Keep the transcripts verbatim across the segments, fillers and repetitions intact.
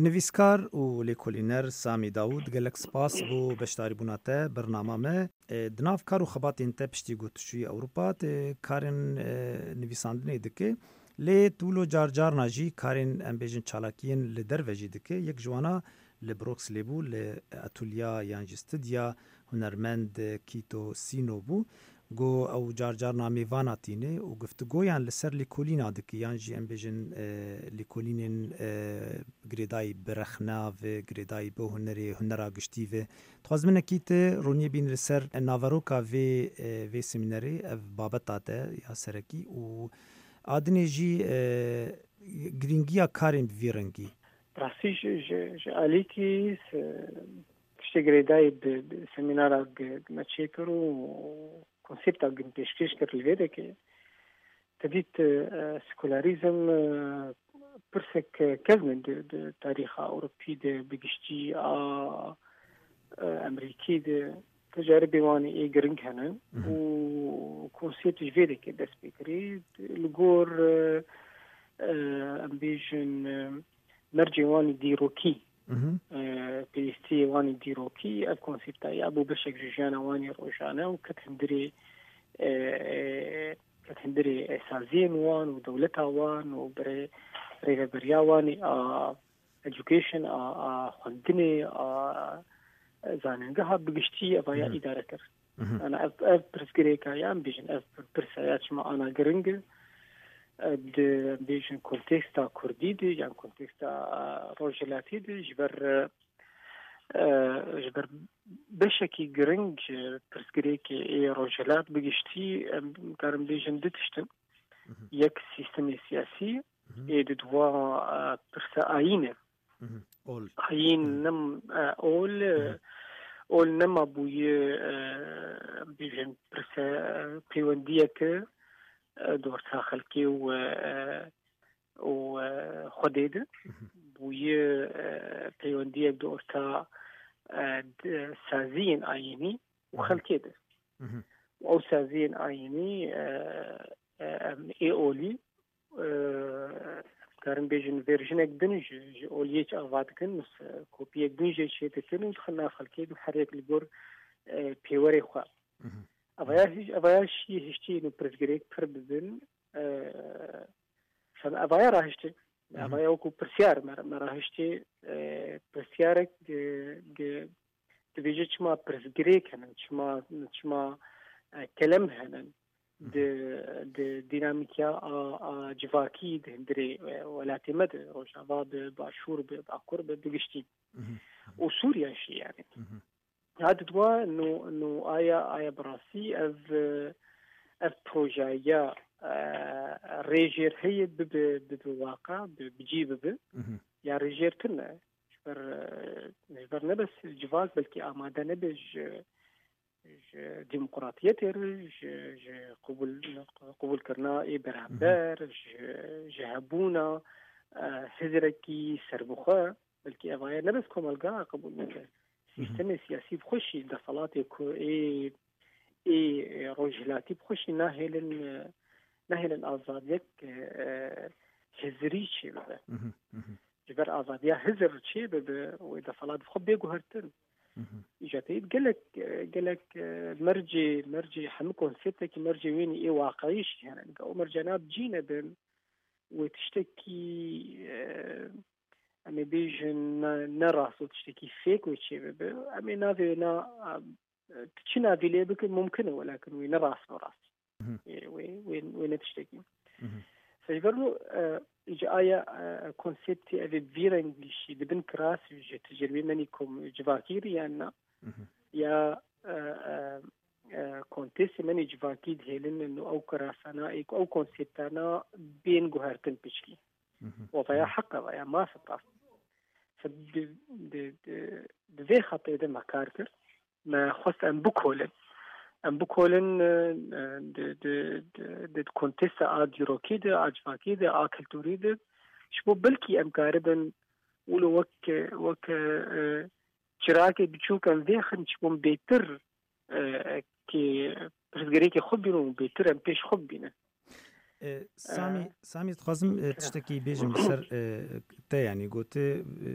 Nivîskar û lêkolîner Samî Dawûd, gelek spas bo beşdarîbûna te bernama me. E, di nav kar û xebatên te piştî ku tu çûyî Ewropa, tu karên, e, nivîsandinê dike. Lê tu wilo car carna jî karên, em bêjin, çalakiyên li derve jî dike. Yek ji wana li Broxlê bû, li atulya yan jî studya hunermend Kîto Sîno bû. Go ew car carna mêvana tîne û giftigoyan li ser lêkolîna dike, yan jî em bêjin, e, lêkolînên, e, girêdayî bi rexna ve, girêdayî bi hunerê, hunera giştî ve. Dixwazim hinekî tu roniyê bîn li ser naveroka vê, e, vê semînerê, ev babeta te ya serekî û a dinê jî, e, girîngiya karên bi vî rengî. Rastî ji, ji, ji alîkî se-, tiştê girêdayî bi, bi semînara gi-, me çêkir û konsepta gi pêşkêş kir li vê de ke te dît, e, sekularîzm, e, pirsek kevn e di, di tarîxa Ewropî de, bi giştî a, e, Emerîkî de, tecaribê wan ê giring hene Mhm. û konsept ji vê de ke dest pê kirî, li gor, e, e, em bêjin, e, mercê wan ê dîrokî, Mhm. e, pêwîstiyê wan ê dîrokî, ev konsepta ya bû beşek ji jiyana wan ê rojane û ket hundirê, e, e, ket hundirê saziyên wan û dewleta wan û birê-, rêveberiya wan ê a education, a, a xwendinê, a zanîngeha bi giştî eva ya Mhm. îdare kir. Mhm. Ana ev, ev pirsgirêka ya, em bêjin, ev pirsa ya çima ana giring e, di, em bêjin, konteksta kurdî de yan konteksta, e, rojhilatî de ji ber, e, e, ji ber beşekî giring, e, pirsgirêkê ê rojhilat bi giştî, em karin bêjin du tişt in. Mhm. Yek sîstemê siyasî, Mhm. ê di dua, e, pirsa ayîn e. Mhm. Ol. Ayîn Mhm. nem, e, ol, e, Mhm. ol nema bûye, e, bêjin pirsa, e, peywendiyeke, e, di orta xelkê û, e, û, e, Xwedê de. Mhm. Bûye, e, peywendiyek di orta, e, di saziyên ayînî û Mhm. xelkê de. Mhm. Û ew saziyên ayînî, e, e, em ê olî, e, karin bêjin verjinek din ji, ji oliyê çi ava dikin, mis-, e, kopiyek din jê çê dikin û dixin nav xelkê û her yek li gor, e, pêwerê xwe. Mhm. Evaya hîş-, evaya şî hiştî û pirsgirêk pir dibin, e, sen evaya rahiştê. Mhm. Evaya wekû pirsyar me, me rahiştê, e, pirsyarek, e, di, dibêje çima pirsgirêk henin, çima, çima, e, kelem henin. Mhm. Di, di dînamîkiya a, a civakî di hundirê, e, welatê me de, Rojava bi, Başûr bi, Bakur bi, bi giştî. Mhm. Û Sûriye jî yani. Mhm. Ya di dua no, no aya, aya bi rastî ev, e, ev projeya, e, rêjêr heye bibe, bibe waqa, bi, bi cî bibe. Mhm. Ya rêjêr tune. Ji ber, e, ji ber ne bes civak belkî amade nebe ji, ji demokratiyetê re, ji, ji qebûl, qebûlkirina ê beramber, Mhm. ji, ji hebûna, e, hizrekî serbixwe, belkî evaya ne bes komelga qebûl neke. Mhm. Sîstemê siyasî bi xwe jî, deselatê ku ê, ê rojhilatî bi xwe jî nahêlin, e, nahêlin azadiyek, e, hizirî çêbibe. Mhm, mhm. Ji ber azadiya hizir çêbibe, wê deselat bi xwe bê guhertin. Mhm. Îca te dît gelek, e, gelek, e, mercê, mercê hemû konseptekî mercê wênî ê waqayî jî hene. Ew mercana bi cî nebin, wê tiştekî, e, em ê bêjin ne, ne rast û tiştekî fêk wê çêbibe. Em ê navê wê na, e, tu çi navî lê bikin mumkin e, welakin wê ne rast be rast. Mhm. Ê, wê, wê, wê ne tiştekî. Mhm. Ji ber wilo, e, ji aya, e, konseptê ev ê vî rengî jî di bin kirasî ji tecribê menî kom civakî re yan na, Mhm. ya, e, e, e, kontêsê menî civakî dihêlin û ew kirasana ê ku ew konseptana bên guhertin piçkî. Mhm. Wevaya Mhm. heq e, vaya maf e, rast. Di, di, di, di vê xetê de me kar kir. Me xwest em bikolin. Em bikolin, e, e, di, di, di, di kontesta a dîrokî de, a civakî de, a kulturî de. Ji bo belkî em karibin wilo wek, wek, e, çirakê biçûk em vêxin, ji bo em bêtir, e, kê pirsgirêkê xwe bînin û bêtir em pêş xwe bibînin. E, Samî, Samî, dixwazim, e, tiştekî bêjim li ser, e, te, yanî gote, e,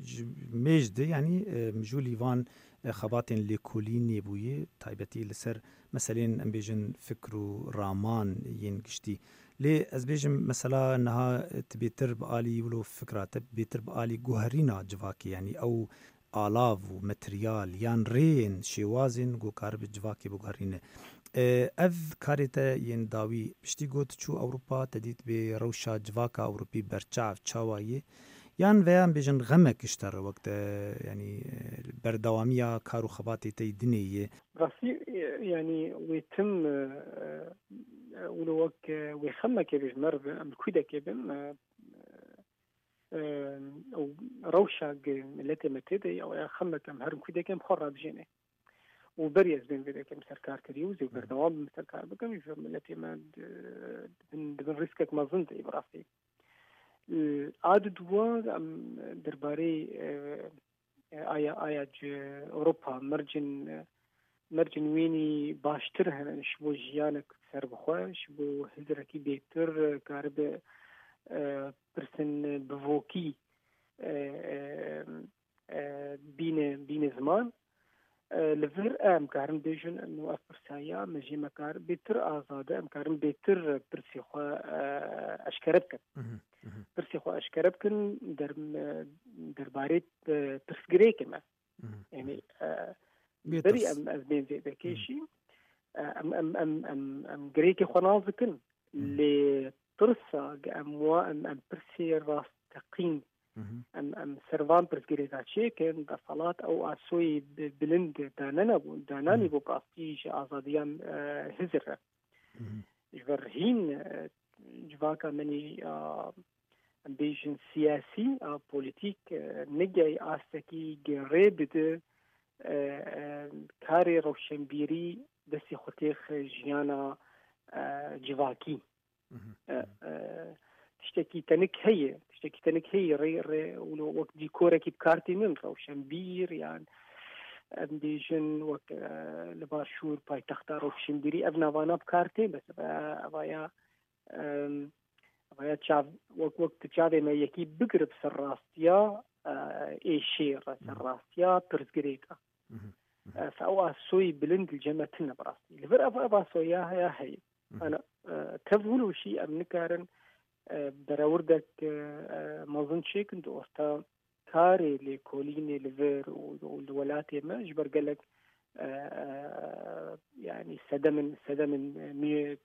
ji mêj de, yanî, e, mijûlî van, e, xebatên lêkolînê bûye, taybetî li ser meselên, em bêjin, fikr û raman yên giştî. Lê ez bêjim, mesela niha, e, tu bêtir bi alî wilo fikra te, bêtir bi alî guherîna civakê, yanî ew alav û materyal yan rêyên, şêwazên ku karibe civakê biguherîne. E, ev karê te yên dawî piştî ku tu çû Ewropa, te dît bê rewşa civaka Ewropî berçav çawa ye? Yan veya em bêjin xemek ji te re wek te, yanî, e, berdewamiya kar û xebatê te yî dinê ye? Rastî, e, yanî wê tim, e, e, wilo wek, e, wê xemekê bêjin, meriv em li kûdekê bin, e, e, ew rewşa ge miletê me tê de ye, ew ya xemek em herin kûdekê em xwe rabijêne. Û berî ez bên vê dekê em ser kar kirî û zê berdewam bim ser kar bikim, ji miletê me di, di bin, di bin rîskek mezin de ye bi rastî. E, a di dua em derbarê, e, e, aya, aya ji Ewropa mercên, e, mercên wînî baştir hene ji bo jiyanek serbixwe, ji bo hizirekî bêtir, e, karibe, e, pirsên bivokî, e, e, e, bîne, bîne ziman. E, li vir em karin bêjin, eno ev pirsa ya me jê me kar bêtir azad e, em karin bêtir pirsê xwe, e, eşkere bikin. Mhm, mhm. Pirsê xwe eşkere bikin, der-, e, derbarê, e, pirsgirêkê me. Mhm. Yanî, e, Bê berî tirs. em, ez bên vê vekê Mhm. jî, e, em, em, em, em, em girêkê xwe nas dikin. Mhm. Lê tirsa ge em wa, em, em pirsê rasteqîn, Mhm. em, em ser van pirsgirêka çêkin, desalat ew asoyê bi-, bilind danenebû, dananî Mhm. bû bi rastî ji azadiyan, e, hizir re. Mhm. Ji ber hîn, e, civaka me nî, a, em bêjin siyasî, a, polîtîk, e, nigey astekî ge rê bide, e, e, karê rewşenbîrî destê xwe têxe jiyana, e, civakî. Mhm. E, e, tiştekî tenik heye, tiştekî tenik heye rê, rê, wilo wek dîkorekî bi kar tînin, rewşenbîr yan em bêjin wek, e, li başûr paytexta rewşenbîrî ev navana bi kar tên, bes, e, eva ya, em, eva ya çav, wek, wek tu çavê me yekî bigirib ser rastiya, e, êşê re, ser Mhm. rastiya pirsgirêka. Mhm. Mhm. E, fe ew asoyî bilind li cem me tune bi rastî. Li vir ev, ev asoya heya heye. Mhm. Ana, e, tev wilo jî em nikarin, e, berewirdek, e, e, mezin çêkin di orta karê lêkolînê li vir û, û li welatê me ji ber gelek, e, e, yanî sedemên, sedemên, e, nû-,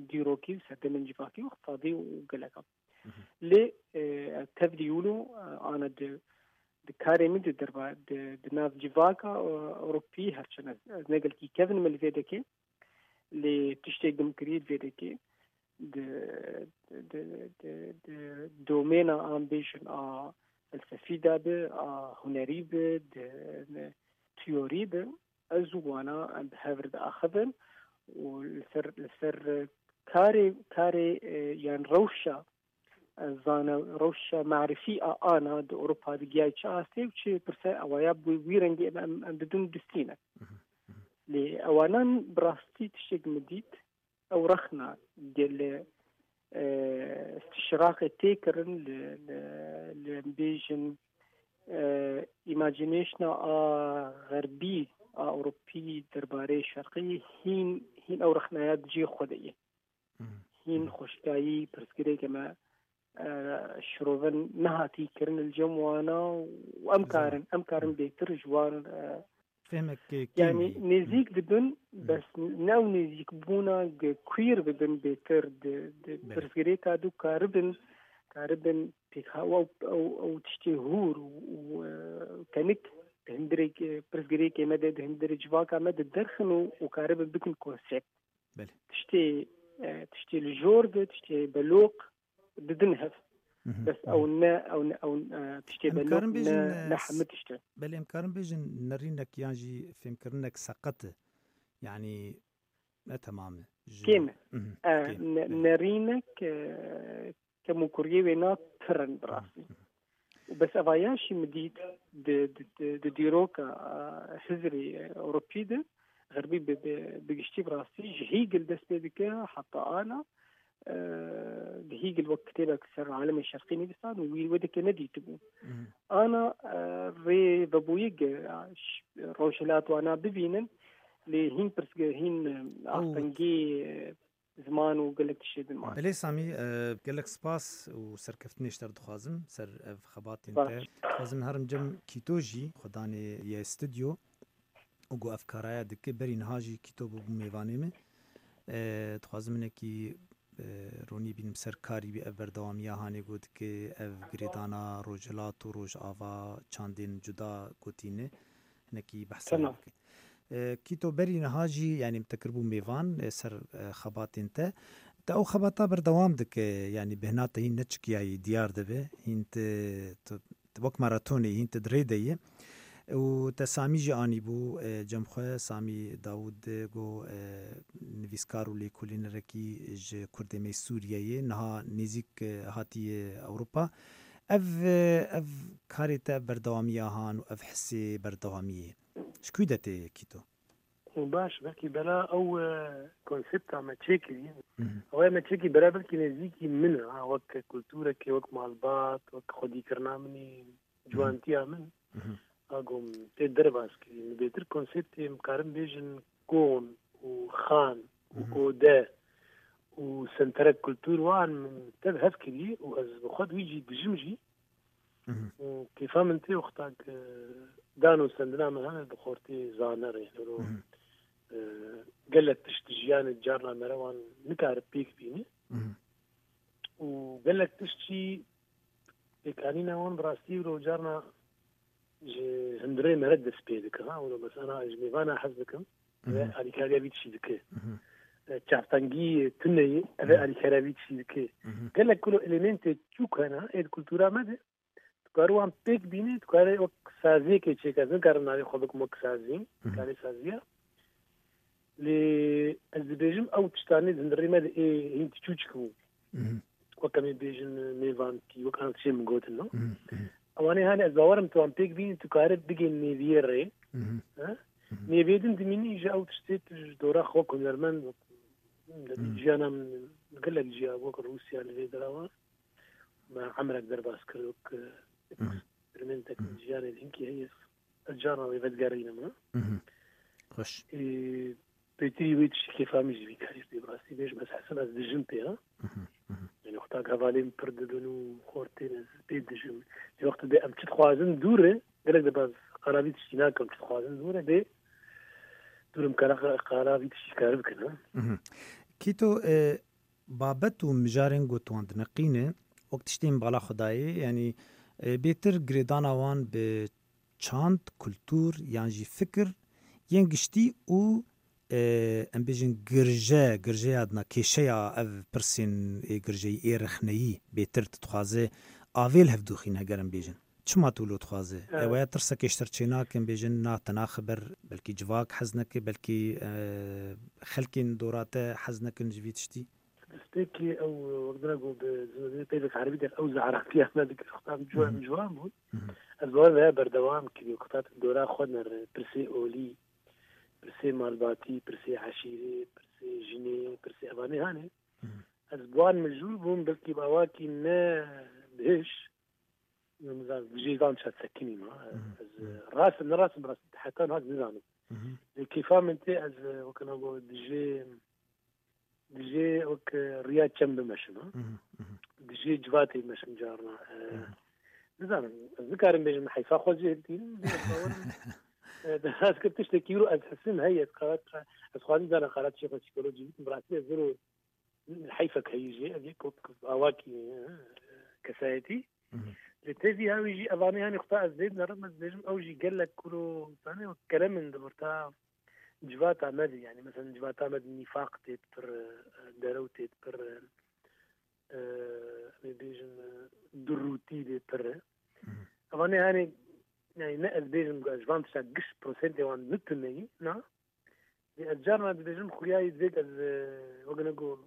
dîrokî û sedemên civakî û iqtisadî û gelek. Mhm. Lê, e, tevlî wilo, e, ana di, di karê min di derba, di, di nav civaka, e, Ewropî, herçend ez, ez ne gelkî kevin me li vê dekê, lê tiştê gumkirî li vê dekê, di, di, di, di, di domêna an bêjin a felsefî de bi, a hunerî bi, di, di teorî bi, ez û wana em bi hev re diaxivin û li ser, li ser karê, karê, e, yan rewşa, e, zane, rewşa marifî a ana di Ewropa digiyay çi astê û çi pirse ewaya bi wî rengî em, em, em didin distîne. Mhm, mhm. Lê ewanan bi rastî tiştek min dît, ew rexna gelê, e, istişraqê tê kirin li, li, li em bêjin, e, imaginationa a xerbî, a Ewropî derbarê şerqî hîn, hîn ew rexnaya di cihê xwe de ye. Mhm. Hîn Mhm. xweşikayî pirsgirêkê me, e, şirovin nehatî kirin li cem wana û em Zana. karin, em karin Mhm. bêtir ji wan, e, Fêmek, e, kêm yanî ye. Hı. nêzîk dibin, Hı. bes ne ew nêzîkbûna ge kuîr bibin bêtir di, di Belê. pirsgirêka du karibin, karibin pêkha ew, ew, ew tiştê hûr û, û, e, tenik di hundirê, e, pirsgirêkê me de, di hundirê civaka me de derxin û, û karibin bikin konsept. Belê. Tiştê, e, tiştê li jor de, tiştê beloq, didin hev. Mhm, Bes mhm. ew ne, ew ne, ew, e, tiştê Em belok karin bêjin, ne, e, ne s-, hemî tişt e. Belê, em karin bêjin nerînek yan jî fêmkirinek seqet e. Yanî ne temam e. Ji Kêm e. Mhm, E, kêm. ne-, Belê. nerînek, e, kemûkuriyê wê na pir in bi rastî. Mhm, mhm. Û bes eva ya jî min dît di, di, di, di dîroka, e, hizrî, e, Ewropî de, xerbî bi, bi, bi giştî bi rastî ji Hegel dest pê dike heta ana, e, di Hegel wek kitêbek ser alemê şerqî nivîsand û wî wê dike nedîtibû. Mhm. Ana, e, rê vebûyî ge, e, ş-, rojhilat wana bibînin, lê hîn pirsgir, hîn, e, Ew astengî, e, ziman û gelek tiştê din mane. Belê Samî, e, gelek spas û serkeftinê ji te re dixwazim ser ev xebatên te. Spas. Dixwazim herim cem Kîto jî xwedanê ye stûdyo û ku ev karaya dike. Berî niha jî Kîto bû, bû mêvanê min. E, dixwazim hinekî, e, ronî bînim ser karî wî, ev berdewamiya hanê ku dike, ev girêdana Rojhilat û Rojava çandên cuda gotîne. Hinekî behsa wê Tamam. bike. E, Kîto berî niha jî, yanî te kiribû mêvan, e, ser, e, xebatên te. Te ew xebata berdewam dike, yanî bêhna te hîn neçikiyayî diyar dibe, hîn te, tu, tu wek maratonê hîn tu di rê de yî. Û te Samî jî anîbû, e, cem xwe, Samî Dawûd, e, go, e, nivîskar û lêkolînerekî ji Kurdê me yê Sûriyeyê, niha nêzîk, e, hatiye Ewropa. Ev, e, ev karê te, ev berdewamiya han û ev hisê berdewamiyê ji kû de tê, Kîto? Baş, belkî bela ew, e, konsepta me çêkirî. Mhm. Ew ê me çêkî bela belkî nêzîkî min e, ha, wek kulturekê, wek malbat, wek xwedîkirina min ê, Mhm. ciwantiya min. Mhm. A gom tê derbas kirî. Min bêtir konseptê em karin bêjin kon û xan û Mhm. ode û senterek kultur wan min tev hev kirî û ez bi xwe wî jî dijim jî. Mhm. Û kêfa min tê wexta ku dan û sendina min hene bi xortê zaner, yani, ro, Mhm. e, gelek tişt di jiyanê carna me re wan nikare pêk bîne. Mhm. Û gelek tişt jî pêkanîna wan bi rastî ro carna ji hundirê me re dest pê dike, ha, û mesela ji mêvana hez dikim, ve Mhm. alîkariya vî tiştî dike. Mhm. E, çavtengî tuneyê, eve Mhm. alîkariya vî tiştî dike. Mhm. Gelek kilo elementê çûk hene, ê di kultura me de, tu kare wan pêk bînî, tu kare wek saziyekê çêke, ez nikarim navê xwe bikim wek sazî, Mhm. karê saziya. Lê ez dibêjim, ew tiştanê di hundirê me de ê hîn ti çûçik bû. Mhm. Wek em ê bêjin mêvankî, wek an tişê min gotin, no? Mhm, mhm. Ewanê hanê ez bawerim tu wan pêk bînî, tu kare bigê nêviyê rê. Mhm. He? Mhm. Nêviyê din dimînî ji ew tiştê tu ji dora xwe wek hunermend, wek, Mhm. jiyana min gelek ciya wek Rûsya li vê dera wan. Me emirek derbas kir wek, e, Mhm. eksperimentek Mhm. jiyanê hinkî heye. Ez carna wê vedigerînim, ha? Mhm. Xweş. Ê, pêtirî wê tiştî kêfa min jî vî karî tê, bi rastî bêjim, ez hesin, ez dijim pê, ha? Mhm, mhm. Yani, wexta hevalên pir dibin û xortên ez pê dijim. Lê wexta bê em çi dixwazin dûr e, gelek de baz qala vî tiştî nakim, çi dixwazin dûr e, bê dûrim kara, qala vî tiştî kar bikin, ha? Mhm. Kîto, e, babet û mijarên ku tu wan dineqîne, wek tiştên bala xwe dayê, yanî, e, bêtir girêdana wan bi çand, kultur yan jî fikir yên giştî û, e, em bêjin girje, girjeya dina kêşeya ev pirsên ê girjeyî, ê rexneyî bêtir tu dixwaze avê li hev doxîne, heger em bêjin. Çima tu wilo dixwaze? Evet. Ew ya tirsekê ji te re çênake, em bêjin, na te naxiber, belkî civak hez neke, belkî, e, xelkên dora te hez nekin ji vî tiştî? Destpêkê ew, wek dina ku bi zûnê peyvek erebî der, ew zaratiya me dikir, xwe tam ciwan, Mhm. ciwan bû. Mhm. Ez wan veya berdewam kirî, xwe ta dora xwe nere, pirsê olî, pirsê malbatî, pirsê eşîrê, pirsê jinê, pirsê evanê hanê. Mhm. Ez bi wan mijûl bûm, belkî bi awakî ne bihiş, nizam, dijê van çat sekinî ma. Mhm. Ez, Mhm. rast, ne rast, bi rast, heta niha nizanim. Mhm. Lê kêfa min tê, ez, wekî na got, dijê, dijê wek riya çem bimeşim, ha? Mhm, mhm. Dijê civatê bimeşim carna. E, Mhm. nizanim, ez nikarim bêjim, heyfa xwe jê hiltînim, lê ez bawerim, e, ez kir tiştekî wilo ez hisim heye, ez qala, ez xwazî zana qala çê xwe psîkolojî bikim, bi rastî ez zero heyfek heyî jê, ev yek wek awakî, e, kesayetî. Mhm. Lê tevî hewî jî evanê hanê xwe ta ez lê dinerim, ez dibêjim, ew jî gelek kuro, zanê, wek kerem in di orta civata me de, yani, mesela, civata me de nîfaq tê pir, e, derew tê pir, e, e, em ê bêjin, e, durûtî lê pir e. Mhm. Evanê hanê, yani, ne ez bêjim, ji van tişta giş prosentê wan nituneyî, na? Lê ez carna dibêjim, xuyayî divêt ez, e, wek ne got,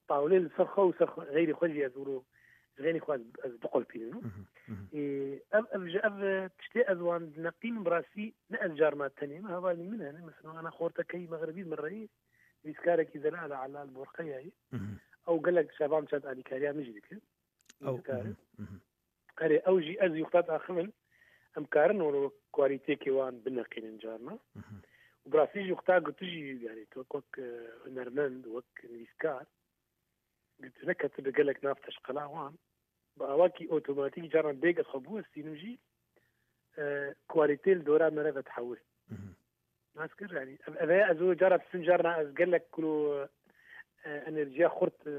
tawlê li ser xwe û ser xwe, xeyrê xwe jî ez wilo, ji xeynî xwe ez, ez biqulpînim. Mhm, mhm. Ê, ev, ev ji ev, e, tiştê ez wan dineqînim, bi rastî ne ez carna tenê me, hevalî min hene, mesela, ana xortekeyî mexribî min reyî, nivîskarekî Zelal Elal Borqeyayî. Mhm. Ew gelek şevan çend alîkariya min jî dike. Ew, Dikare. Mhm, mhm. Erê, ew jî ez yûxta diaxivin, em karin wilo kwalîtêkê wan bineqînin carna. Mhm. Û bi rastî jî wexta ku tu jî, yani, tu wek, wek, e, hunermend, wek nivîskar, tu neketibe gelek nav teşqela wan, bi awakî otomatîk carna bêg ez xwe biwestînim jî, e, kwalîtê li dora me re vedihewir. Mhm. Nas kir, yani, ev, ev heye ez o cara disim carna ez gelek kilo, e, enerjiya xurt, e,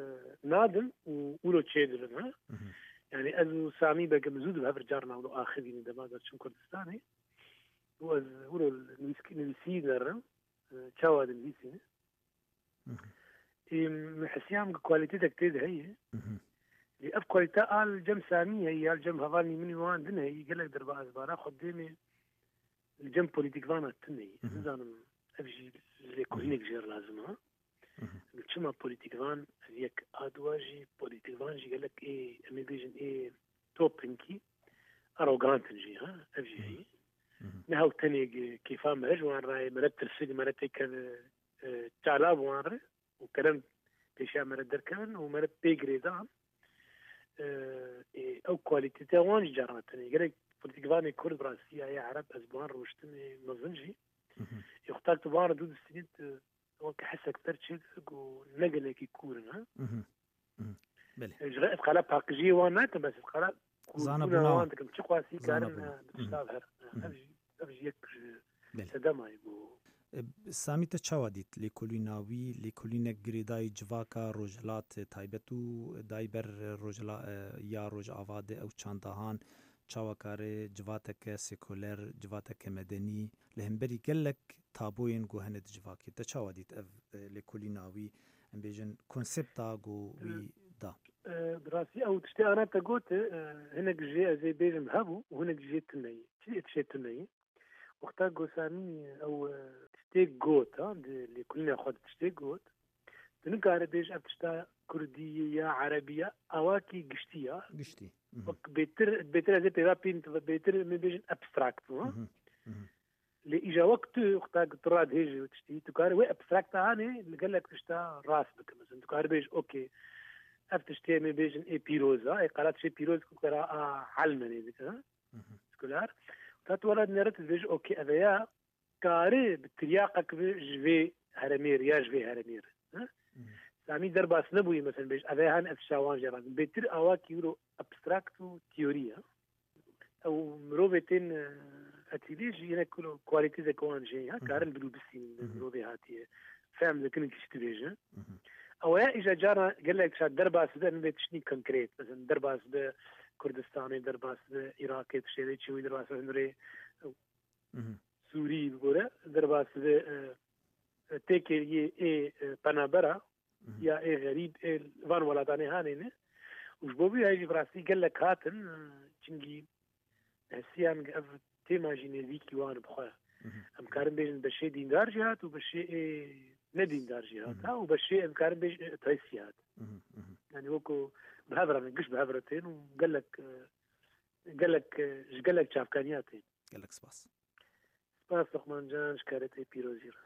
nadim û wilo çêdibim, ha? Mhm. Yani, ez û Samî Begim zû di hev re carna wilo axivînin dema de çûn Kurdistanê. Û ez wilo nivîsk-, nivîsî nerim, e, çawa dinivîsîne. Mhm. Ê, min hesiyam ku kwalîtetek tê de heye. Mhm. Lê ev kwalîte a li cem Samî heye, ya li cem hevalnî min û wan din heye, gelek derba ez bara xwe dêmê li cem polîtîkvana tune ye. Mhm. Nizanim ev jî lêkolînek jê re lazim e. Mhm. Çima polîtîkvan ev yek a dua jî, polîtîkvan jî gelek ê, em ê bêjin ê topinkî, arogant in jî, ha? Ev jî Mhm. heye. Mhm. Ne hew tenê kêfa me ji wan re ye, me re tirsin, me re têkeve, e, çala bi wan re û kerem pêşiya me re derkevin û me re pê girêdan. E, ê, ew kwalîtete wan jî carna tune. Gelek polîtîkvanê Kurd bi rastî ya, ya Ereb ez bi wan rûştinê mezin jî. Mhm. Ê, xwe tak tu bi wan re dû distînî, tu weke hesek per çêdibe ku ne gelekî kûr in, ha? Mhm. Mhm. Belê. Ji re ez qala paqijiyê wan nakim, bes ez qala Zana kûrbûna bona wan dikim. Çi qasî zana karin, bona. E, bi Mhm. tişta herin. Mhm. Ev jî, ev jî yek ji Belê. sedemayê bû. E, Samî, te çawa dît lêkolîna wî, lêkolînek girêdayî civaka rojhilat, e, taybet û dayber rojhila-, e, ya Rojava de ew çandahan çawa kare civateke sekuler, civateke medenî li hemberî gelek taboyên ku hene di civakê. Te çawa dît ev, e, lêkolîna wî, em bêjin konsepta ku wî da? E, bi rastî ew tiştê ana te got, e, hinek jê ez ê bêjim hebû û hinek jê tune ye. Çi tiştê tune ye? Wexta ku Samî ew, e, tiştê got, ha, di lêkolîna xwe de tiştê got, tu nikare bêj ev tişta kurdî ye ya erebî ye, awakî giştî ya. Giştî. Mhm. Wek bêtir, bêtir ez ê pêva pîn, bêtir em ê bêjin abstract bû, ha? Mhm. Mhm. Lê îja wek tu, wexta ku tu radihêjî û tiştî, tu karî wê abstrakta hanê li gelek tişta rast bike. Mesela, tu karî bêj, okey, ev tiştê em ê bêjin ê pîroz a, ê qala tiştê pîroz ku kara a helmenê dike, ha? Mhm. Sekular. Ta tu wela dinere, tu dibêjî, okey, ev ya karî bi tiryaqek bi ji vê heremê re ya ji vê heremê re, ha? Mhm. Samî derbas nebûyî, mesela, bêj, ev ya han ev tişta wan jê re. Bêtir awakî wilo abstrakt û teorî ye. Ew mirovê tên, e, etîlê jî yine kulo kualîtî zeko wan jê ya, Mhm. karin bilû bisînin Mhm. mirovê hatiye. Fehm dikin kiştî bêje. Mhm. Ew ya îja cara gelek şa derbas be, min bê tiştî konkret. Mesela derbas be Kurdistanê, derbas be Iraqê, tiştê çi wî derbas be hunurê Mhm. Sûrî bigore, derbas be, e, e, têkêriyê ê, e, penabera, Mhm. ya ê xerîb, ê van welatanê hanê ne. Û ji bo vî heyî jî bi rastî gelek hatin, e, çingî hesiyan ev tema jî nêzîkî wan bi xwe. Mhm. Em karin bêjin beşê dîndar jî hat û beşê ê nedîndar jî hat, Mhm. ha, û beşê em karin bêjin ateîst jî hat. Mhm, mhm. Yani weko bi hev re ne, giş bi hev re tên û gelek, e, gelek, e, ji gelek çavkaniya tên. Gelek spas. Spas Luqman Can, ji karetê pîrozî re.